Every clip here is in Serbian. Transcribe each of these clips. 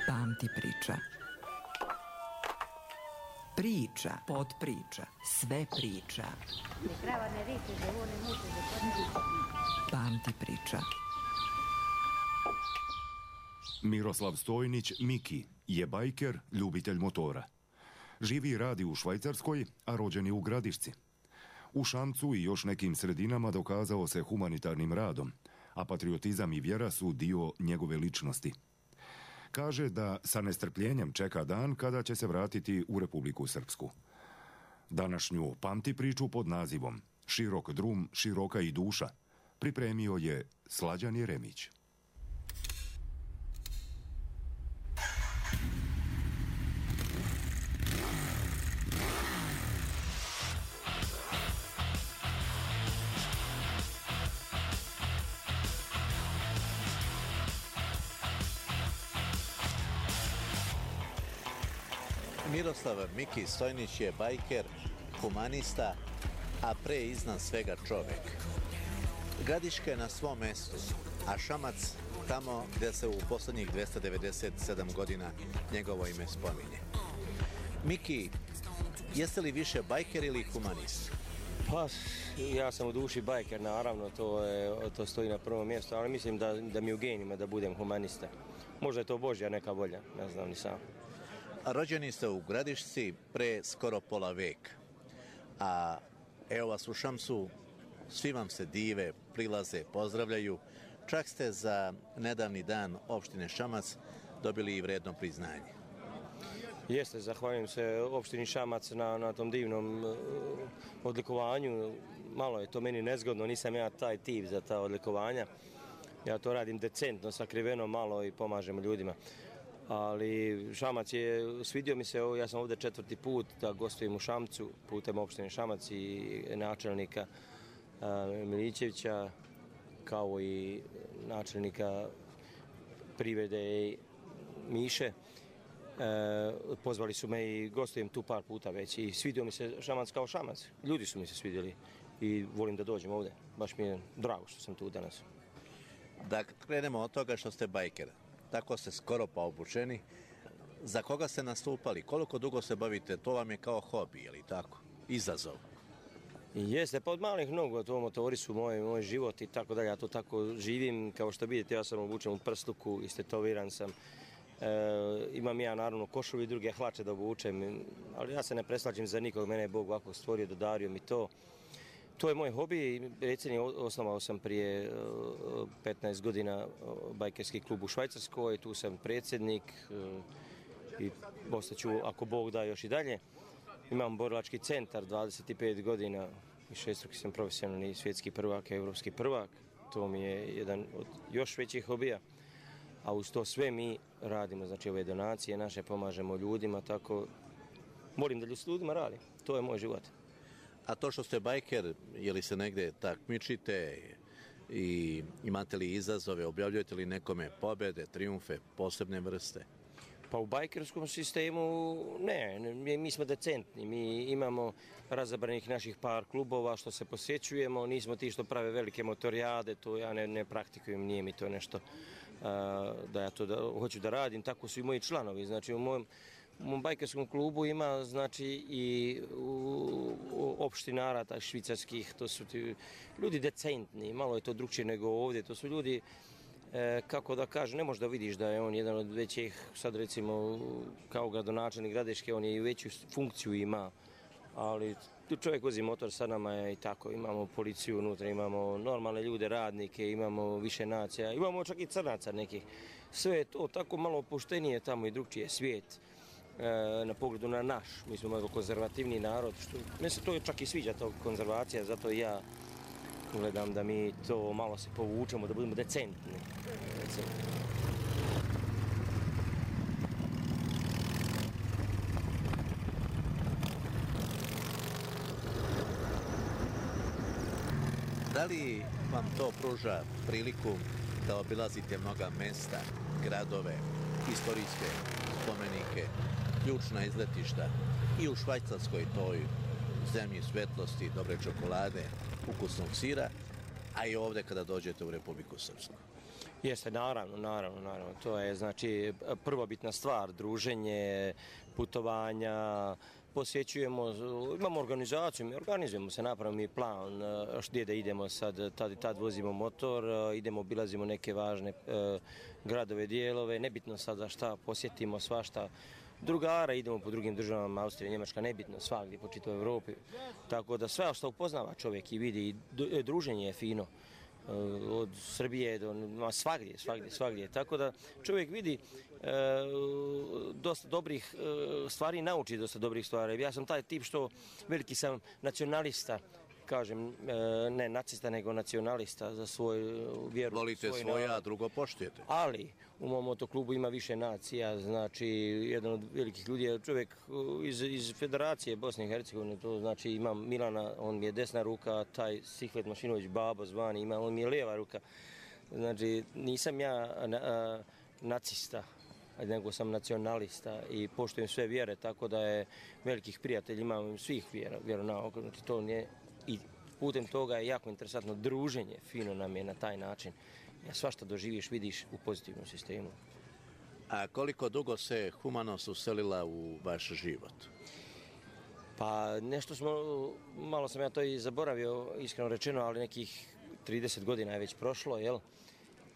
Pamti priča. Priča, podpriča, sve priča. Pamti priča. Miroslav Stojnić, Miki, je bajker, ljubitelj motora. Živi i radi u Švajcarskoj, a rođen je u Gradišci. U Šamcu i još nekim sredinama dokazao se humanitarnim radom, a patriotizam i vjera su dio njegove ličnosti. Kaže da sa nestrpljenjem čeka dan kada će se vratiti u Republiku Srpsku. Današnju pamti priču pod nazivom Širok drum, široka i duša pripremio je Slađan Jeremić. Miroslav Miki Stojnić je bajker, humanista, a pre iznad svega čovek. Gradiška je na svom mestu, a Šamac tamo gde se u poslednjih 297 godina njegovo ime spominje. Miki, jeste li više bajker ili humanist? Pa, ja sam u duši bajker, naravno, to stoji na prvom mjestu, ali mislim da mi u genima da budem humanista. Možda je to Božja neka volja, ne znam ni sam. Rođeni ste u Gradišci pre skoro pola veka, a evo vas u Šamcu, svi vam se dive, prilaze, pozdravljaju, čak ste za nedavni dan opštine Šamac dobili i vredno priznanje. Jeste, zahvaljujem se opštini Šamac na tom divnom odlikovanju. Malo je to meni nezgodno, nisam ja taj tip za ta odlikovanja. Ja to radim decentno, sakriveno malo i pomažem ljudima. Ali Šamac je, svidio mi se, ja sam ovdje 4. put da gostujem u Šamcu putem opštine Šamac i načelnika Milićevića, kao i načelnika privrede Miše. Pozvali su me i gostujem tu par puta već i svidio mi se Šamac kao Šamac. Ljudi su mi se svidjeli i volim da dođem ovdje. Baš mi je drago što sam tu danas. Da krenemo od toga što ste bajker. Tako ste skoro pa obučeni. Za koga ste nastupali? Koliko dugo se bavite? To vam je kao hobi, je li tako? Izazov. Jeste, pa od malih nogu, to motori su moj život i tako dalje. Ja to tako živim. Kao što vidite, ja sam obučen u prsluku, istetoviran sam. Imam ja naravno košulju i druge hlače da obučem, ali ja se ne preslađem za nikog. Mene je Bog ovako stvorio, dodario mi to. To je moj hobi. Recimo, osnovao sam prije 15 godina bajkerski klub u Švajcarskoj, tu sam predsjednik i ostaću, ako Bog da, još i dalje. Imam borilački centar, 25 godina i 6 sam profesionalni svjetski prvak, evropski prvak. To mi je jedan od još većih hobija. A uz to sve mi radimo, znači ove donacije naše, pomažemo ljudima, tako volim da s ljudima radim. To je moj život. A to što ste bajker, je li se negde takmičite i imate li izazove, objavljujete li nekome pobjede, triumfe, posebne vrste? Pa u bajkerskom sistemu ne, mi smo decentni, mi imamo razabranih naših par klubova što se posjećujemo, nismo ti što prave velike motorijade, to ja ne praktikujem, nije mi to nešto da ja to hoću da radim, tako su i moji članovi, znači u mom bajkerskom klubu ima znači i opštinara tak švicarskih, to su ti ljudi decentni, malo je to drugčije nego ovdje, to su ljudi, kako da kažem, ne možeš da vidiš da je on jedan od većih, sad recimo kao gradonačelnik Gradiške, on je i veću funkciju ima, ali tu čovjek vozi motor sa nama je i tako, imamo policiju unutra, imamo normalne ljude, radnike, imamo više nacija, imamo čak i crnaca nekih, sve je to tako malo opuštenije tamo i drugčije svijet. Na pogledu na naš, mi smo malo konzervativni narod, meni se to čak i sviđa, to konzervacija, zato ja gledam da mi to malo se povučemo, da budemo decentni. Da li vam to pruža priliku da obilazite mnoga mesta, gradove, istorijske spomenike, ključna izletišta i u Švajcarskoj, toj zemlji svetlosti, dobre čokolade, ukusnog sira, a i ovdje kada dođete u Republiku Srpsku? Jeste, naravno. To je znači prvobitna stvar, druženje, putovanja, posjećujemo, imamo organizaciju, mi organizujemo se, napravimo mi plan gdje da idemo sad, tad i tad vozimo motor, idemo, obilazimo neke važne gradove, dijelove, nebitno sad za šta, posjetimo svašta. Drugara, idemo po drugim državama, Austrija, Njemačka, nebitno, svagdje po čitavoj Evropi. Tako da sve što upoznava čovjek i vidi, druženje je fino. Od Srbije do svagdje. Tako da čovjek vidi dosta dobrih stvari, nauči dosta dobrih stvari. Ja sam taj tip što veliki sam nacionalista, kažem, ne nacista nego nacionalista za svoju vjeru. Volite svoje, a drugo poštujete. Ali u mom motoklubu ima više nacija, znači jedan od velikih ljudi je čovjek iz Federacije Bosne i Hercegovine, to znači imam Milana, on mi je desna ruka, taj Sihvet Mašinović, Babo zvani, on mi je lijeva ruka. Znači nisam ja nacista, nego sam nacionalista i poštujem sve vjere, tako da je velikih prijatelja imam svih vjeronauka, znači to nije. I putem toga je jako interesantno druženje, fino nam je na taj način. Svašta doživiš, vidiš u pozitivnom sistemu. A koliko dugo se humanost uselila u vaš život? Pa nešto malo sam ja to i zaboravio, iskreno rečeno, ali nekih 30 godina je već prošlo, jel?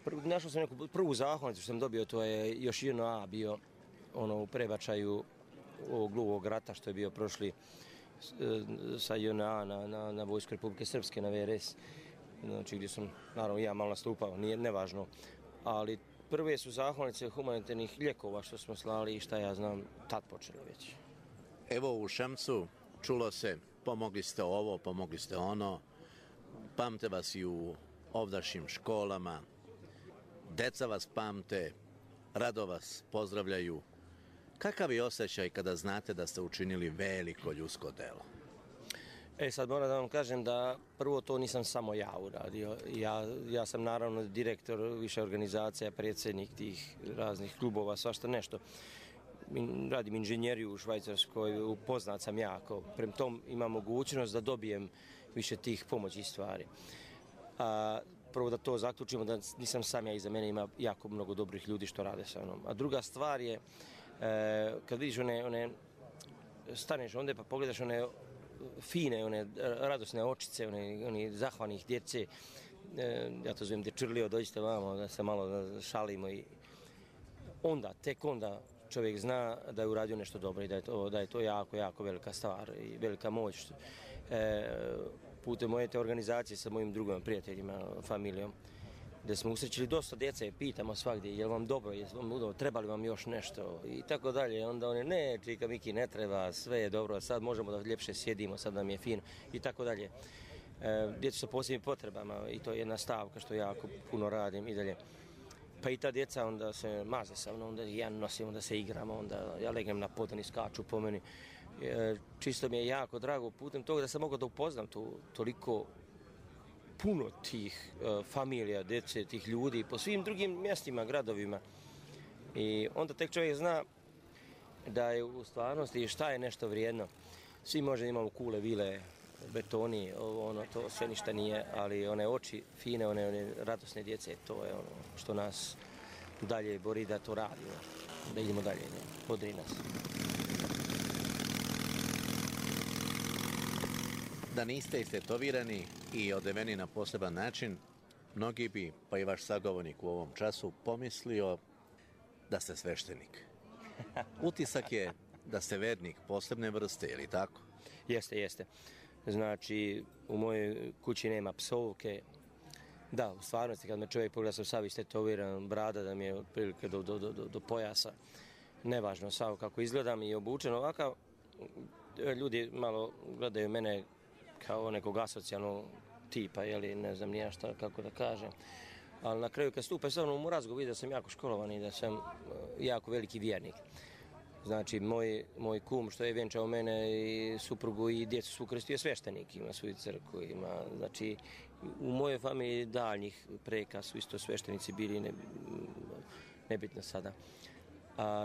Našao sam neku prvu zahvalnicu što sam dobio, to je još JNA bio u prebačaju ovog gluvog rata što je bio prošli sa JNA na Vojsku Republike Srpske, na VRS, znači gdje sam, naravno, ja malo nastupao, nije nevažno, ali prve su zahvalnice humanitarnih lijekova što smo slali i šta ja znam, tad počeli već. Evo u Šamcu čulo se, pomogli ste ovo, pomogli ste ono, pamte vas i u ovdašnjim školama, deca vas pamte, rado vas pozdravljaju. Kakav je osjećaj kada znate da ste učinili veliko ljudsko delo? Sad moram da vam kažem da prvo to nisam samo ja uradio. Ja sam naravno direktor više organizacija, predsjednik tih raznih klubova, svašta nešto. Radim inženjeriju u Švajcarskoj, upoznat sam jako. Prema tom imam mogućnost da dobijem više tih pomoći stvari. Prvo da to zaključimo, da nisam sam ja, iza mene ima jako mnogo dobrih ljudi što rade sa mnom. A druga stvar je, kad vidiš staneš onda pa pogledaš one fine, one radosne očice, oni zahvalnih djece, ja to zovem dečurlio, dođite vamo da se malo šalimo i tek onda čovjek zna da je uradio nešto dobro i da je to jako, jako velika stvar i velika moć. Putem moje te organizacije sa mojim drugim prijateljima, familijom, gdje smo usrećili dosta djece, pitamo svagdje, je li vam dobro, treba li vam još nešto i tako dalje. Onda oni, ne, čika Miki, ne treba, sve je dobro, sad možemo da ljepše sjedimo, sad nam je fino i tako dalje. Djeca sa posebnim potrebama i to je jedna stavka što jako puno radim i dalje. Pa i ta djeca onda se maze sa mnom, onda ja nosim, onda se igramo, onda ja legnem na pod, oni skaču po meni. Čisto mi je jako drago putem toga da sam mogao da upoznam toliko puno tih familija, djece, tih ljudi po svim drugim mjestima, gradovima. I onda tek čovjek zna da je u stvarnosti šta je nešto vrijedno. Svi možda imamo kule, vile, betoni, to sve ništa nije, ali one oči fine, one radosne djece, to je ono što nas dalje bori da to radimo, da idemo dalje, bodri nas. Da niste istetovirani i odeveni na poseban način, mnogi bi, pa i vaš sagovornik u ovom času, pomislio da ste sveštenik. Utisak je da ste vernik posebne vrste, je li tako? Jeste. Znači, u mojoj kući nema psovke. Da, u stvarnosti, kad me čovjek pogleda, sam sav istetoviran, brada da mi je otprilike do pojasa. Nevažno sav kako izgledam i obučen ovakav. Ljudi malo gledaju mene kao nekog asocijalnog tipa, jeli, ne znam nija šta, kako da kažem. Ali na kraju kad stupe sa mnom u razgovor vidio da sam jako školovan i da sam jako veliki vjernik. Znači, moj kum što je vjenčao mene i suprugu i djecu su ukrstio sveštenik, ima svoju crkvu, znači, u mojoj familiji daljnjih preka su isto sveštenici bili, nebitno sada.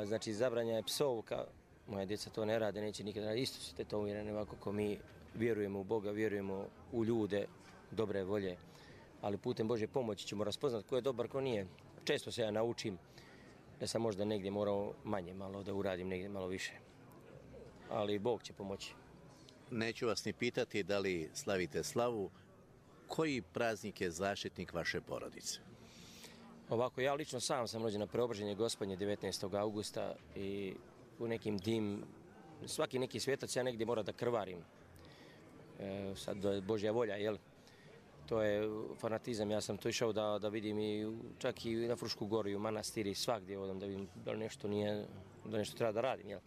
Znači, zabranja je psovka, moja djeca to ne rade, neće nikada raditi, isto su tetovirane ovako ko mi vjerujemo u Boga, vjerujemo u ljude dobre volje, ali putem Božje pomoći ćemo raspoznati ko je dobar, ko nije. Često se ja naučim da sam možda negdje morao manje malo da uradim, negdje malo više. Ali Bog će pomoći. Neću vas ni pitati da li slavite slavu. Koji praznik je zaštitnik vaše porodice? Ovako, ja lično sam rođen na Preobraženje Gospodnje 19. augusta i u nekim svaki neki svetac ja negdje mora da krvarim. Sad je Božja volja, jel? To je fanatizam, ja sam to išao da vidim i čak i na Frušku goru i u manastiri, svagdje odam da vidim da nešto nije, da nešto treba da radim, jel?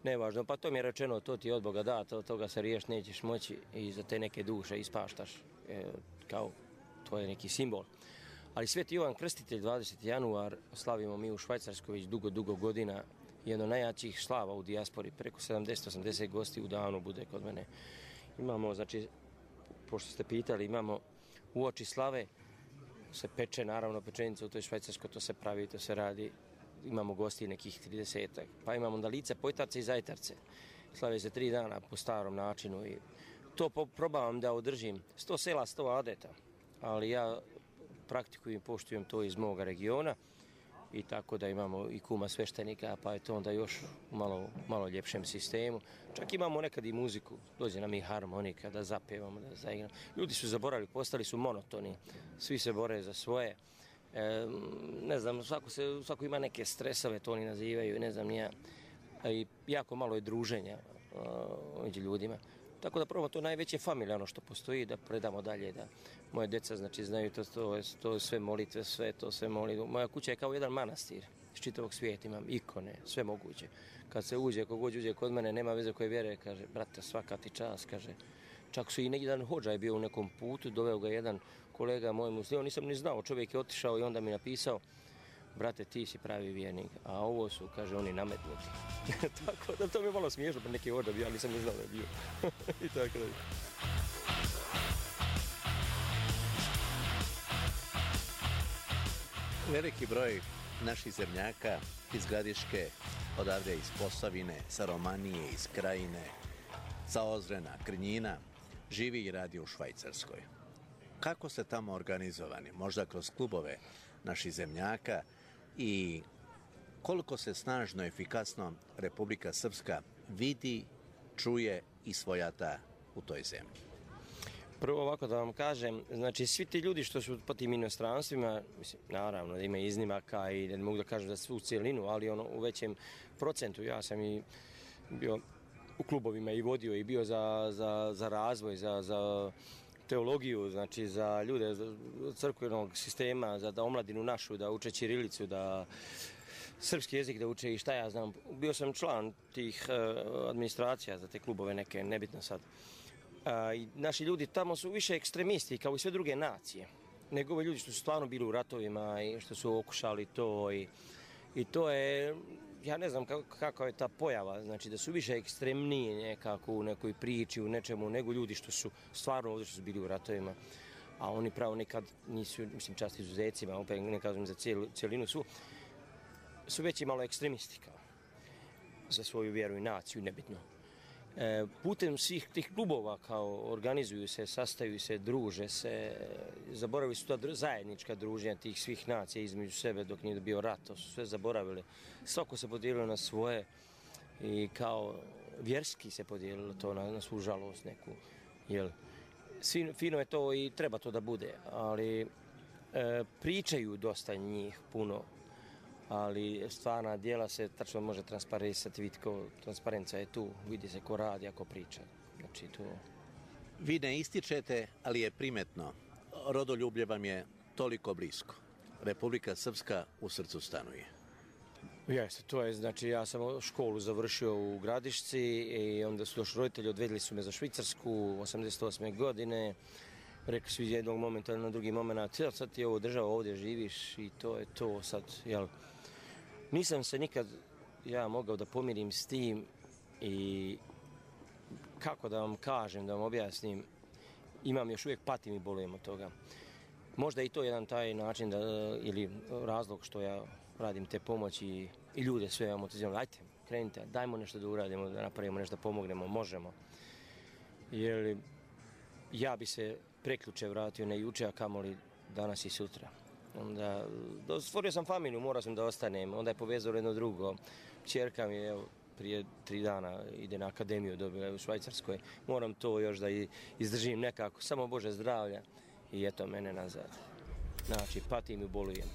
Nevažno, pa to mi je rečeno, to ti je od Boga dat, od toga se riješ nećeš moći i za te neke duše ispaštaš, kao to je neki simbol. Ali Sveti Jovan Krstitelj 20. januar slavimo mi u Švajcarskoj već dugo godina, jedno najjačih slava u dijaspori, preko 70-80 gosti u danu bude kod mene. Imamo, znači, pošto ste pitali, imamo uoči slave, se peče naravno pečenica u toj Švajcarskoj, to se pravi, to se radi. Imamo gosti nekih 30-ak, pa imamo onda lice, pojtarce i zajtarce. Slave se 3 dana po starom načinu i to probavam da održim. 100 sela, 100 adeta, ali ja praktikujem i poštujem to iz moga regiona i tako da imamo i kuma sveštenika, pa je to onda još u malo ljepšem sistemu. Čak imamo nekad i muziku, dođe nam i harmonika da zapevamo, da zaigramo. Ljudi su zaboravili, postali su monotoni, svi se bore za svoje. Ne znam, svako ima neke stresove, to oni nazivaju, ne znam ni ja. I jako malo je druženja među ljudima. Tako da probamo to najveće familijarno što postoji, da predamo dalje, da moje djeca znači znaju to sve molitve, sve to sve molitve. Moja kuća je kao jedan manastir, iz čitavog svijeta imam ikone, sve moguće. Kad se uđe, kogod uđe kod mene, nema veze koje vjere, kaže, brate, svaka ti čast, kaže. Čak su i jedan hodža je bio u nekom putu, doveo ga jedan kolega moj musliman, nisam ni znao, čovjek je otišao i onda mi napisao, brate, ti si pravi vjernik, a ovo su, kaže, oni nametnuti. Tako da to mi je malo smiješno, pa neki hodža bio, ali nisam ni znao da je bio. I tako da. Veliki broj naših zemljaka iz Gradiške, odavde iz Posavine, sa Romanije, iz Krajine, sa Ozrena, Krnjina, živi i radi u Švajcarskoj. Kako ste tamo organizovani? Možda kroz klubove naših zemljaka i koliko se snažno, efikasno Republika Srpska vidi, čuje i svojata u toj zemlji? Prvo ovako da vam kažem, znači svi ti ljudi što su po tim inostranstvima, mislim, naravno da ima iznimaka i ne mogu da kažem da svu u cijelinu, ali u većem procentu. Ja sam i bio u klubovima i vodio i bio za razvoj, za teologiju, znači za ljude crkvenog sistema, za omladinu našu, da uče ćirilicu, da srpski jezik da uče i šta ja znam. Bio sam član tih administracija za te klubove neke, nebitno sad. I naši ljudi tamo su više ekstremisti kao i sve druge nacije, nego ovi ljudi što su stvarno bili u ratovima i što su okušali to i to je, ja ne znam kako je ta pojava, znači da su više ekstremniji nekako u nekoj priči, u nečemu, nego ljudi što su stvarno ovdje što su bili u ratovima, a oni pravo nekad nisu, mislim čast izuzecima, opet ne kažem za cijelinu, su već i malo ekstremisti kao za svoju vjeru i naciju, nebitno. Putem svih tih klubova kao organizuju se, sastaju se, druže se, zaboravili su ta zajednička druženja tih svih nacija između sebe dok nije bio rat, to su sve zaboravili. Svako se podijelilo na svoje i kao vjerski se podijelilo to na svu žalost neku. Jel, fino je to i treba to da bude, ali pričaju dosta njih puno, ali stvarna djela se tačno može transparentisati, vidjeti ko transparenca je tu, vidi se ko radi, ako priča. Znači, to... Vi ne ističete, ali je primetno. Rodoljublje vam je toliko blisko. Republika Srpska u srcu stanuje. Jeste, to je, znači ja sam školu završio u Gradišci i onda su došli roditelji, odvedli su me za Švicarsku 88. godine. Rekli su iz jednog momenta na drugi moment, sad ti je ovo država, ovdje živiš i to je to sad, jel? Nisam se nikad ja mogao da pomirim s tim i kako da vam kažem, da vam objasnim, imam još uvijek patim i bolujem od toga. Možda i to jedan taj način ili razlog što ja radim te pomoći i ljude sve motiviram, ajte, krenite, dajmo nešto da uradimo, da napravimo nešto, da pomognemo, možemo. Jer ja bi se preključe vratio na juče, a kamoli danas i sutra. Onda, stvorio sam familiju, morao sam da ostanem, onda je povezalo jedno drugo. Čerka mi je, evo, prije 3 dana ide na akademiju, dobila je u Švajcarskoj. Moram to još da izdržim nekako, samo Bože zdravlja i eto mene nazad. Znači, patim i bolujem.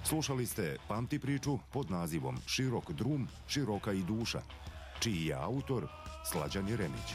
Slušali ste Pamti priču pod nazivom Širok drum, široka i duša, čiji je autor Slađan Jeremić.